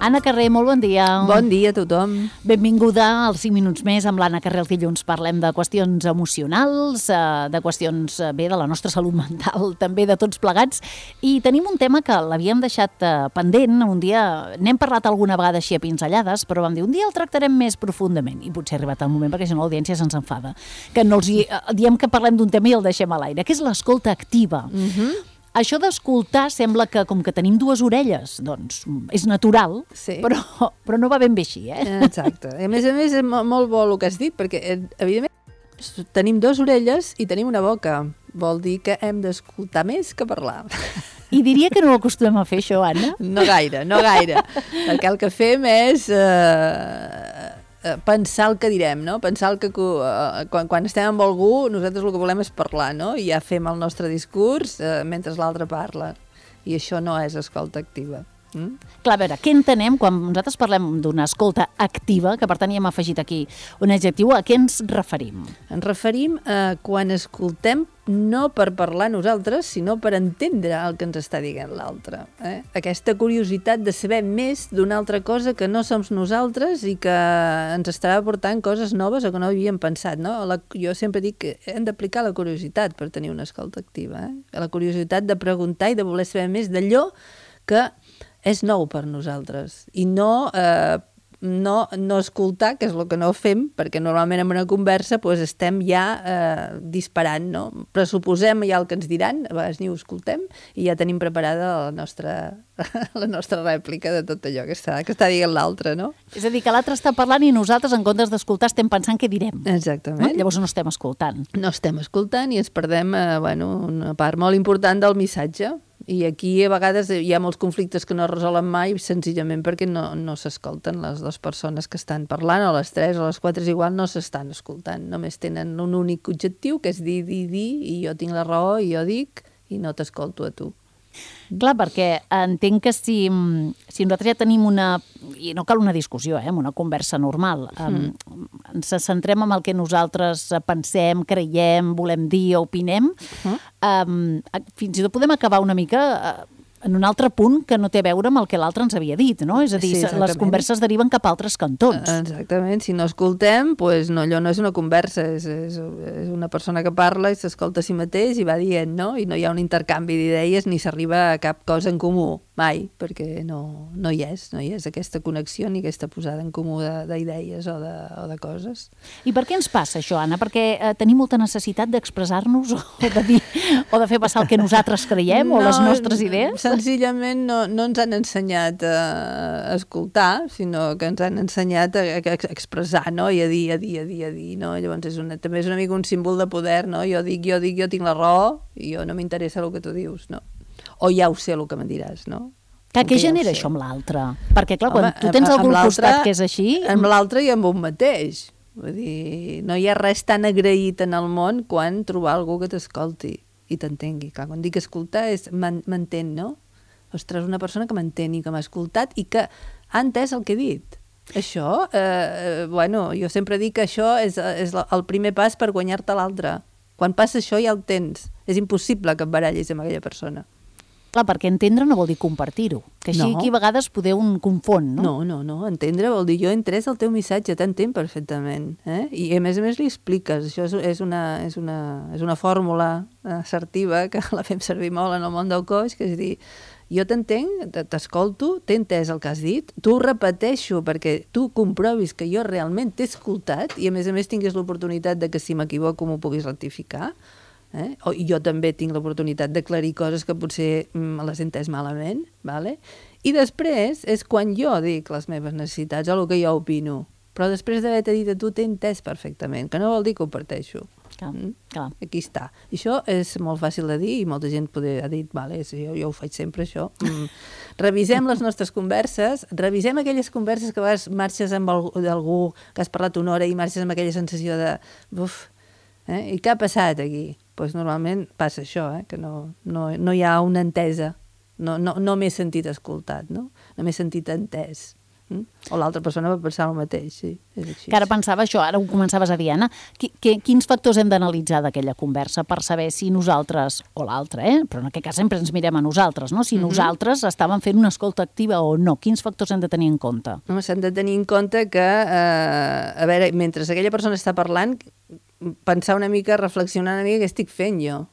Anna Carrer, molt bon dia. Bon dia a tothom. Benvinguda als 5 minuts més amb l'Anna Carrer. Els dilluns parlem de qüestions emocionals, de qüestions de la nostra salut mental, també de tots plegats. I tenim un tema que l'havíem deixat pendent. Un dia n'hem parlat alguna vegada així a pinzellades, però vam dir un dia el tractarem més profundament. I potser ha arribat el moment, perquè si no l'audiència se'ns enfada. Que no els diem que parlem d'un tema i el deixem a l'aire, que és l'escolta activa. Això d'escoltar sembla que, com que tenim dues orelles, doncs és natural, sí. però no va ben bé així, Exacte. A més, és molt bo el que has dit, perquè, evidentment, tenim dues orelles i tenim una boca. Vol dir que hem d'escoltar més que parlar. I diria que no ho acostumem a fer, això, Anna? No gaire. Perquè el que fem és pensar el que direm, no? Pensar que quan estem amb algú nosaltres el que volem és parlar, no? I ja fem el nostre discurs mentre l'altre parla. I això no és escolta activa. Clar, a veure, què entenem quan nosaltres parlem d'una escolta activa, que per tant hi hem afegit aquí un adjectiu, a què ens referim? Ens referim a quan escoltem no per parlar nosaltres, sinó per entendre el que ens està dient l'altre. Aquesta curiositat de saber més d'una altra cosa que no som nosaltres i que ens estarà aportant coses noves o que no havíem pensat, no? Jo sempre dic que hem d'aplicar la curiositat per tenir una escolta activa. La curiositat de preguntar i de voler saber més d'allò que és nou per nosaltres i no escoltar, que és el que no fem, perquè normalment en una conversa doncs, estem ja disparant, no? Pressuposem ja el que ens diran, a vegades ni ho escoltem i ja tenim preparada la nostra rèplica de tot allò que està dient l'altre, no? És a dir, que l'altre està parlant i nosaltres, en comptes d'escoltar, estem pensant què direm. Exactament. Llavors no estem escoltant. No estem escoltant i ens perdem una part molt important del missatge. I aquí a vegades hi ha molts conflictes que no es resolen mai senzillament perquè no s'escolten les dues persones que estan parlant, o les tres o les quatre és igual, no s'estan escoltant. Només tenen un únic objectiu, que és dir, i jo tinc la raó i jo dic i no t'escolto a tu. Clar, perquè entenc que si nosaltres ja tenim i no cal una discussió, amb una conversa normal, ens centrem en el que nosaltres pensem, creiem, volem dir o opinem, fins i tot podem acabar una mica en un altre punt que no té a veure amb el que l'altre ens havia dit, no? És a dir, sí, les converses deriven cap a altres cantons. Exactament, si no escoltem, doncs no, allò no és una conversa, és una persona que parla i s'escolta a si mateix i va dient, no? I no hi ha un intercanvi d'idees ni s'arriba a cap cosa en comú, mai, perquè no hi és aquesta connexió ni aquesta posada en comú d'idees o de coses. I per què ens passa això, Anna? Perquè tenim molta necessitat d'expressar-nos o de dir, o de fer passar el que nosaltres creiem o les nostres idees? Senzillament no ens han ensenyat a escoltar, sinó que ens han ensenyat a expressar, no? I a dir, no? Llavors també és una mica un símbol de poder, no? Jo dic, jo tinc la raó i jo no m'interessa el que tu dius, no? O ja ho sé el que me diràs, no? Què genera això amb l'altre? Perquè, clar, quan tu tens algú al costat que és així... Amb l'altre i amb un mateix. Vull dir, no hi ha res tan agraït en el món quan trobar algú que t'escolti i t'entengui. Clar, quan dic escoltar és m'entén, no? Ostres, una persona que m'entén i que m'ha escoltat i que ha entès el que he dit. Això, jo sempre dic que això és el primer pas per guanyar-te l'altre. Quan passa això ja el tens. És impossible que et barallis amb aquella persona. Clar, perquè entendre no vol dir compartir-ho, que així aquí a vegades poder un confon, no? No, entendre vol dir jo he entès el teu missatge, t'entenc perfectament, i a més li expliques, això és una fórmula assertiva que la fem servir molt en el món del coach, que és dir, jo t'entenc, t'escolto, t'he entès el que has dit, t'ho repeteixo perquè tu comprovis que jo realment t'he escoltat i a més tinguis l'oportunitat de que si m'equivoco m'ho puguis rectificar, i jo també tinc l'oportunitat d'aclarir coses que potser les he entès malament, vale? I després és quan jo dic les meves necessitats o el que jo opino, però després d'haver-te dit a tu t'he entès perfectament, que no vol dir que ho parteixo. Clar. Aquí està. I això és molt fàcil de dir i molta gent ha dit, vale, jo ho faig sempre això. Revisem les nostres converses, revisem aquelles converses que a vegades marxes amb algú que has parlat una hora i marxes amb aquella sensació de i què ha passat aquí? Doncs normalment passa això, que no hi ha una entesa, no m'he sentit escoltat, no m'he sentit entès. O l'altra persona va pensar el mateix, sí, és així. Que ara pensava això, ara ho començaves a dir, Anna, quins factors hem d'analitzar d'aquella conversa per saber si nosaltres, o l'altre, però en aquest cas sempre ens mirem a nosaltres, no? Si nosaltres estàvem fent una escolta activa o no, quins factors hem de tenir en compte? S'han de tenir en compte que, a veure, mentre aquella persona està parlant, pensar una mica, reflexionar una mica què estic fent jo,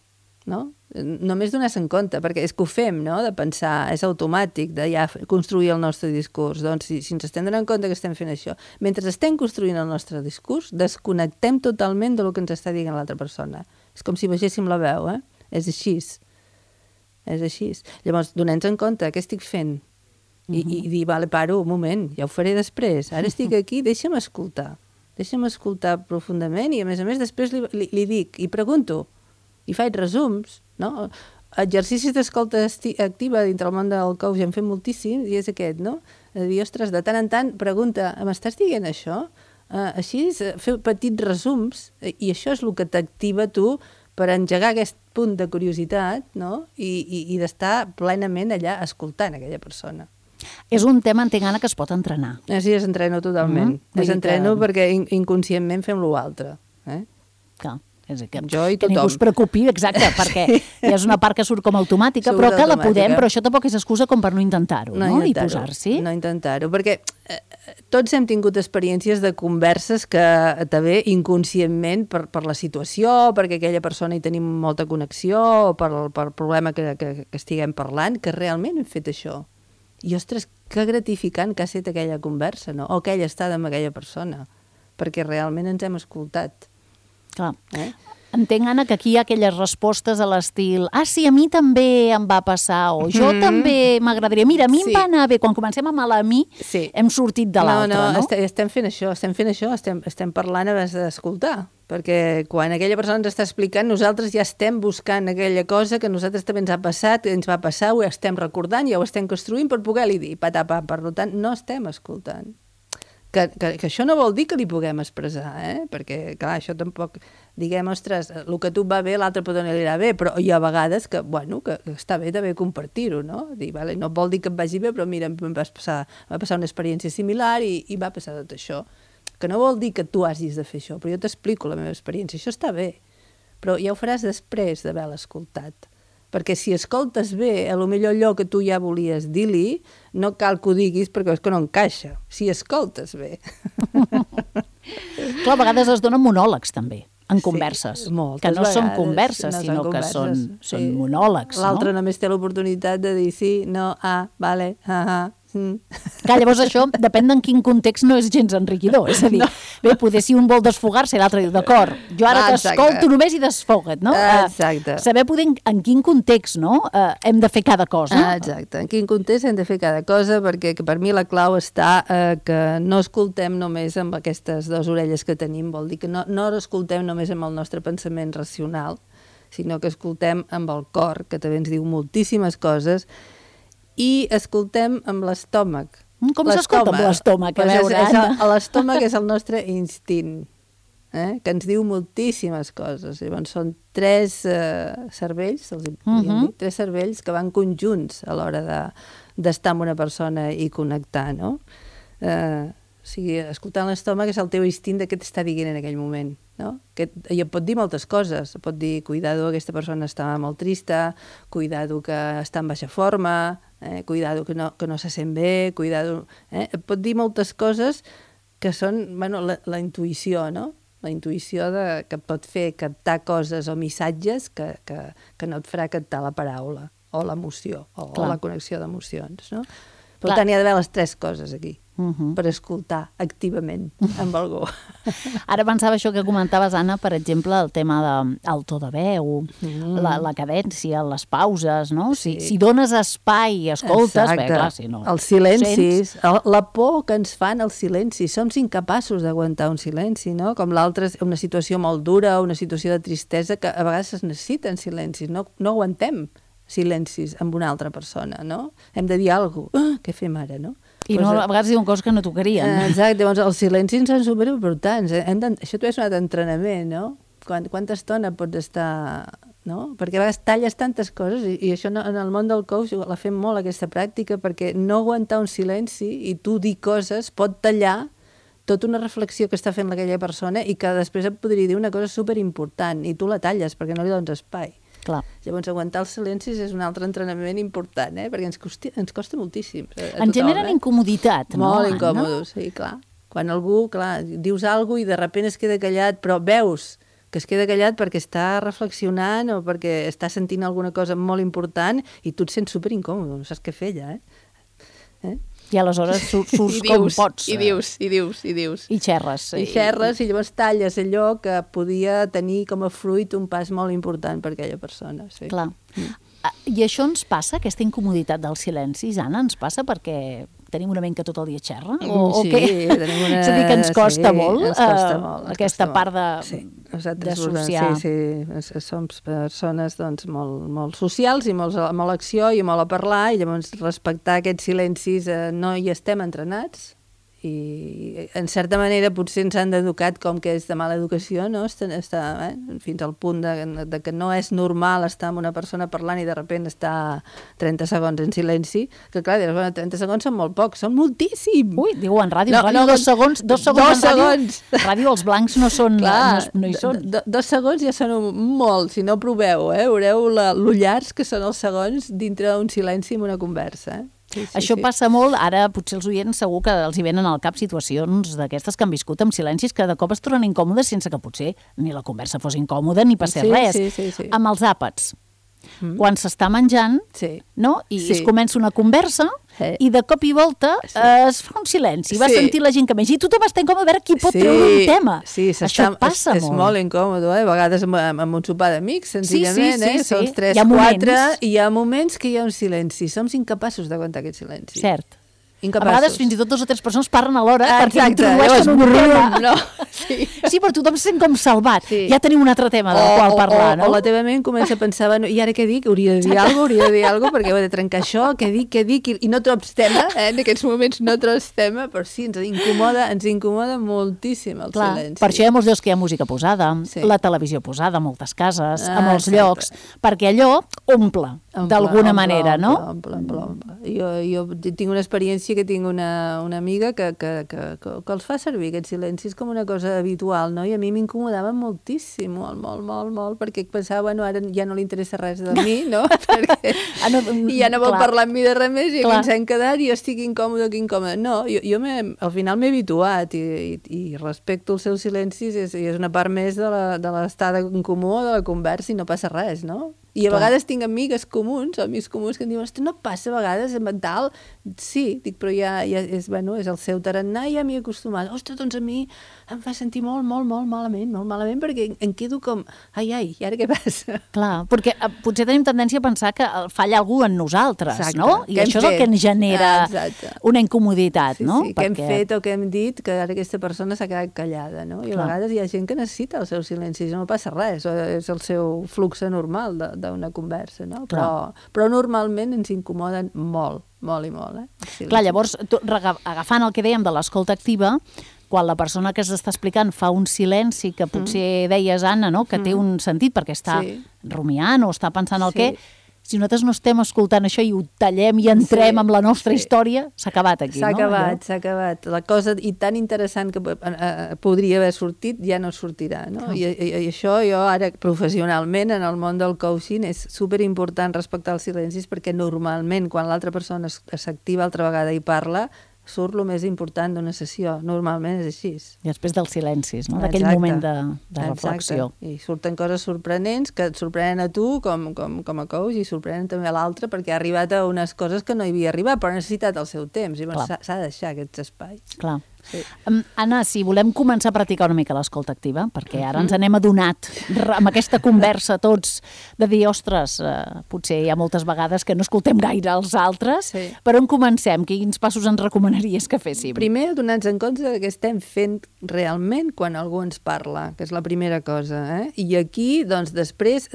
no? Només donar-se en compte, perquè és que ho fem, no?, de pensar, és automàtic, de ja construir el nostre discurs. Doncs si ens estem donant compte que estem fent això, mentre estem construint el nostre discurs, desconnectem totalment del que ens està dient l'altra persona. És com si vegéssim la veu, És així. És així. Llavors, donem-nos en compte què estic fent i dir, vale, paro, un moment, ja ho faré després. Ara estic aquí, deixa'm escoltar profundament i, a més, després li dic i pregunto i faig resums, no? Exercicis d'escolta activa dintre el món del coach en fem moltíssim i és aquest, no? De dir, ostres, de tant en tant pregunta, m'estàs dient això? Així, fer petits resums i això és el que t'activa tu per engegar aquest punt de curiositat, no? I d'estar plenament allà escoltant aquella persona. És un tema, entenc, Anna, que es pot entrenar. Sí, es entreno totalment. Es entreno perquè inconscientment fem l'altre. Clar. Que tothom. ningú es preocupi, exacte, perquè és una part que surt com automàtica, però que la podem, però això tampoc és excusa com per no intentar-ho, no? I posar-s'hi. No intentar-ho, perquè tots hem tingut experiències de converses que també inconscientment per la situació, perquè aquella persona hi tenim molta connexió, o per problema que estiguem parlant, que realment hem fet això. I, ostres, que gratificant que ha estat aquella conversa, no? O aquella estada amb aquella persona, perquè realment ens hem escoltat. Clar. Entenc, Anna, que aquí hi ha aquelles respostes a l'estil sí, a mi també em va passar, o jo també m'agradaria. Mira, a mi em va anar bé. Quan comencem amb el a mi, hem sortit de l'altre, no? Estem fent això, estem parlant abans d'escoltar, perquè quan aquella persona ens està explicant, nosaltres ja estem buscant aquella cosa que a nosaltres també ens ha passat, ens va passar, ho estem recordant, ja ho estem construint per poder-li dir, patapà. Per tant, no estem escoltant. Que això no vol dir que li puguem expressar, perquè, clar, això tampoc... Diguem, ostres, el que a tu va bé, l'altre pot no li anirà bé, però hi ha vegades que, bueno, que està bé també compartir-ho, no? Dir, vale, no vol dir que em vagi bé, però mira, em va passar una experiència similar i va passar tot això. Que no vol dir que tu hagis de fer això, però jo t'explico la meva experiència. Això està bé, però ja ho faràs després d'haver-la escoltat. Perquè si escoltes bé, potser allò que tu ja volies dir-li, no cal que ho diguis perquè és que no encaixa. Si escoltes bé. Clar, a vegades es donen monòlegs, també, en converses. Que no són converses, sinó que són monòlegs. L'altre només té l'oportunitat de dir sí, no, vale, Clar, llavors això, depèn d'en quin context, no és gens enriquidor. És a dir, bé, poder si un vol desfogar-se i l'altre diu, d'acord, jo ara t'escolto només i desfoga't, no? Exacte. Saber poder en quin context, no?, hem de fer cada cosa. Exacte, en quin context hem de fer cada cosa, perquè per mi la clau està que no escoltem només amb aquestes dues orelles que tenim, vol dir que no escoltem només amb el nostre pensament racional, sinó que escoltem amb el cor, que també ens diu moltíssimes coses, i escoltem amb l'estómac. Com s'escolta amb l'estómac? L'estómac és el nostre instint, que ens diu moltíssimes coses. Llavors són tres cervells, tres cervells que van conjunts a l'hora d'estar amb una persona i connectar, no? O sigui, escoltant l'estómac és el teu instint de què t'està dient en aquell moment, no? I et pot dir moltes coses. Pot dir, cuidado, aquesta persona està molt trista, cuidado que està en baixa forma, cuidado que no se sent bé, cuidado... Et pot dir moltes coses que són, bueno, la intuïció, no? La intuïció que et pot fer captar coses o missatges que no et farà captar la paraula o l'emoció o la connexió d'emocions, no? Per tant, hi ha d'haver les tres coses aquí. Per escoltar activament amb algú. Ara pensava això que comentaves, Anna, per exemple, el tema del to de veu, la cadència, les pauses, no? Si dones espai i escoltes, bé, clar, si no... Els silencis, la por que ens fan els silencis. Som incapaços d'aguantar un silenci, no? Com l'altre, una situació molt dura, una situació de tristesa, que a vegades es necessiten silencis, no aguantem silencis amb una altra persona, no? Hem de dir alguna cosa. Què fem ara, no? I a vegades diuen coses que no tocarien. Exacte, llavors els silencis són superimportants. Això també és un altre entrenament, no? Quanta estona pots estar no? Perquè a vegades talles tantes coses i això en el món del coach la fem molt, aquesta pràctica, perquè no aguantar un silenci i tu dir coses pot tallar tota una reflexió que està fent aquella persona i que després et podria dir una cosa superimportant i tu la talles perquè no li dones espai. Clar. Llavors, aguantar els silencis és un altre entrenament important, perquè ens costa moltíssim. Ens generen incomoditat, no? Molt incòmodos, sí, clar. Quan algú, clar, dius alguna cosa i de sobte es queda callat, però veus que es queda callat perquè està reflexionant o perquè està sentint alguna cosa molt important i tu et sents superincòmode, no saps què fer ja, I aleshores surts com pots. I dius. I xerres. I xerres i llavors talles allò que podia tenir com a fruit un pas molt important per aquella persona. Sí. Clar. I això ens passa, aquesta incomoditat dels silencis, Anna, ens passa perquè tenim una ment que tot el dia xerra? O sí, què? tenim una... És a dir, que ens costa molt, ens costa molt aquesta part d'associar. Sí, som persones doncs, molt socials i molt acció i molt a parlar i llavors respectar aquests silencis no hi estem entrenats i en certa manera potser ens han d'educat com que és de mala educació, no? Està, fins al punt de que no és normal estar amb una persona parlant i de sobte estar 30 segons en silenci, que clar, 30 segons són molt pocs, són moltíssim. Ui, diu en ràdio, no, 2 segons en ràdio. Ràdio els blancs no són, clar, no hi són. 2 segons ja són molt, si no proveu, veureu l'ullars que són els segons dintre d'un silenci en una conversa, Això passa molt, ara potser els oients segur que els hi venen al cap situacions d'aquestes que han viscut amb silencis que de cop es tornen incòmodes sense que potser ni la conversa fos incòmoda ni passés res. Sí. Amb els àpats, quan s'està menjant, no? I es comença una conversa i de cop i volta es fa un silenci, va sentir la gent que menja i tothom està incòmode a veure qui pot treure un tema. Això passa molt. És molt incòmode, a vegades amb un sopar d'amics, senzillament, som 3, 4 i hi ha moments que hi ha un silenci, som incapaços d'aguantar aquest silenci. Cert. Incapaços. A vegades fins i tot 2 o 3 persones parlen alhora perquè introdueixen un tema. No. Sí, però tothom se sent com salvat. Ja tenim un altre tema del qual parlar, no? O la teva ment comença a pensar, bueno, i ara què dic? Hauria de dir alguna cosa, perquè he de trencar això, què dic? I no trobes tema, en aquests moments no trobes tema, però sí, ens incomoda moltíssim el silenci. Per això hi ha molts llocs que hi ha música posada, la televisió posada a moltes cases, a molts llocs, perquè allò omple d'alguna manera, no? Omple. Jo tinc una experiència que tinc una amiga que els fa servir aquests silencis com una cosa habitual, no? I a mi m'incomodava moltíssim, molt, perquè pensava, bueno, ara ja no li interessa res de mi, no? Perquè ja no vol parlar amb mi de res més i aquí ens hem quedat i jo estic incòmode. No, jo al final m'he habituat i respecto els seus silencis i és una part més de l'estada en comú o de la conversa i no passa res, no? I a vegades tinc amics comuns que em diuen, no passa a vegades en mental? Sí, dic, però ja és el seu tarannà i ja m'hi he acostumat. Ostres, doncs a mi em fa sentir molt malament, perquè em quedo com, ai, i ara què passa? Clar, perquè potser tenim tendència a pensar que falla algú en nosaltres, no? I això és el que ens genera una incomoditat, no? Sí, què hem fet o què hem dit, que ara aquesta persona s'ha quedat callada, no? I a vegades hi ha gent que necessita el seu silenci, no passa res, és el seu flux normal d'una conversa, no? Però normalment ens incomoden molt. Clar, llavors, agafant el que dèiem de l'escolta activa, quan la persona que s'està explicant fa un silenci que potser deies, Anna, no? Que té un sentit perquè està rumiant o està pensant el què, si nosaltres no estem escoltant això i ho tallem i entrem amb la nostra història, s'ha acabat aquí, no? S'ha acabat. La cosa tan interessant que podria haver sortit ja no sortirà, no? I això jo ara professionalment en el món del coaching és superimportant respectar els silencis perquè normalment quan l'altra persona s'activa altra vegada i parla surt el més important d'una sessió. Normalment és així. I després dels silencis, no? D'aquell moment de reflexió. I surten coses sorprenents que et sorprenen a tu com a coach i sorprenen també a l'altre perquè ha arribat a unes coses que no hi havia arribat, però ha necessitat el seu temps i s'ha de deixar aquests espais. Clar. Sí. Anna, si volem començar a practicar una mica l'escolta activa, perquè ara ens n'hem adonat amb aquesta conversa tots de dir, ostres, potser hi ha moltes vegades que no escoltem gaire els altres, per on comencem? Quins passos ens recomanaries que féssim? Primer, donar-nos en compte que estem fent realment quan algú ens parla, que és la primera cosa, I aquí, doncs, després,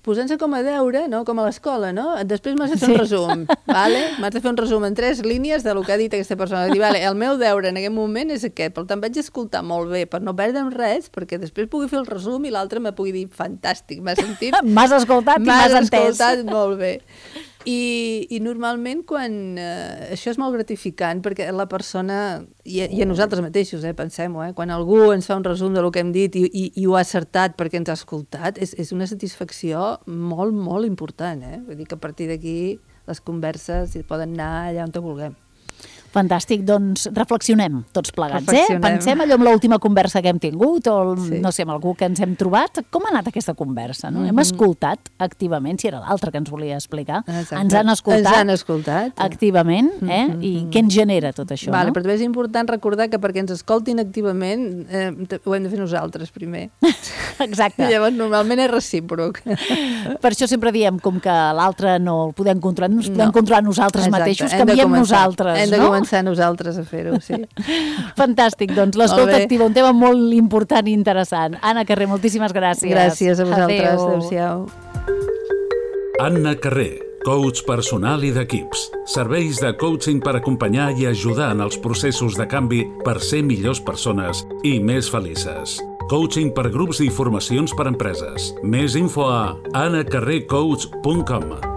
posant-se com a deure, no? Com a l'escola, no? Després m'has de fer un resum, vale? M'has de fer un resum en 3 línies del que ha dit aquesta persona. Dir, vale, el meu deure en aquest aquell moment és aquest, per tant vaig escoltar molt bé, per no perdre'm res, perquè després pugui fer el resum i l'altre me pugui dir, fantàstic, m'has sentit? M'has escoltat i m'has entès. M'has escoltat molt bé. I normalment quan això és molt gratificant perquè la persona, i a nosaltres mateixos, pensem-ho, quan algú ens fa un resum del que hem dit i ho ha acertat perquè ens ha escoltat, és una satisfacció molt, molt important. Vull dir que a partir d'aquí les converses poden anar allà on te vulguem. Fantàstic, doncs reflexionem tots plegats, Pensem allò amb l'última conversa que hem tingut o, no sé, amb algú que ens hem trobat. Com ha anat aquesta conversa? No? Hem escoltat activament, si era l'altre que ens volia explicar. Exacte. Ens han escoltat activament, I què ens genera tot això? Vale, però també és important recordar que perquè ens escoltin activament ho hem de fer nosaltres primer. Exacte. I llavors normalment és recíproc. Per això sempre diem, com que l'altre no el podem controlar, ens podem controlar nosaltres mateixos, canviem nosaltres, no? Començar nosaltres a fer-ho, sí. Fantàstic, doncs l'escolta activa, un tema molt important i interessant. Anna Carré, moltíssimes gràcies. Gràcies a vosaltres, adéu-siau. Anna Carré, coach personal i d'equips. Serveis de coaching per acompanyar i ajudar en els processos de canvi per ser millors persones i més felices. Coaching per grups i formacions per empreses. Més info a anacarrecoach.com.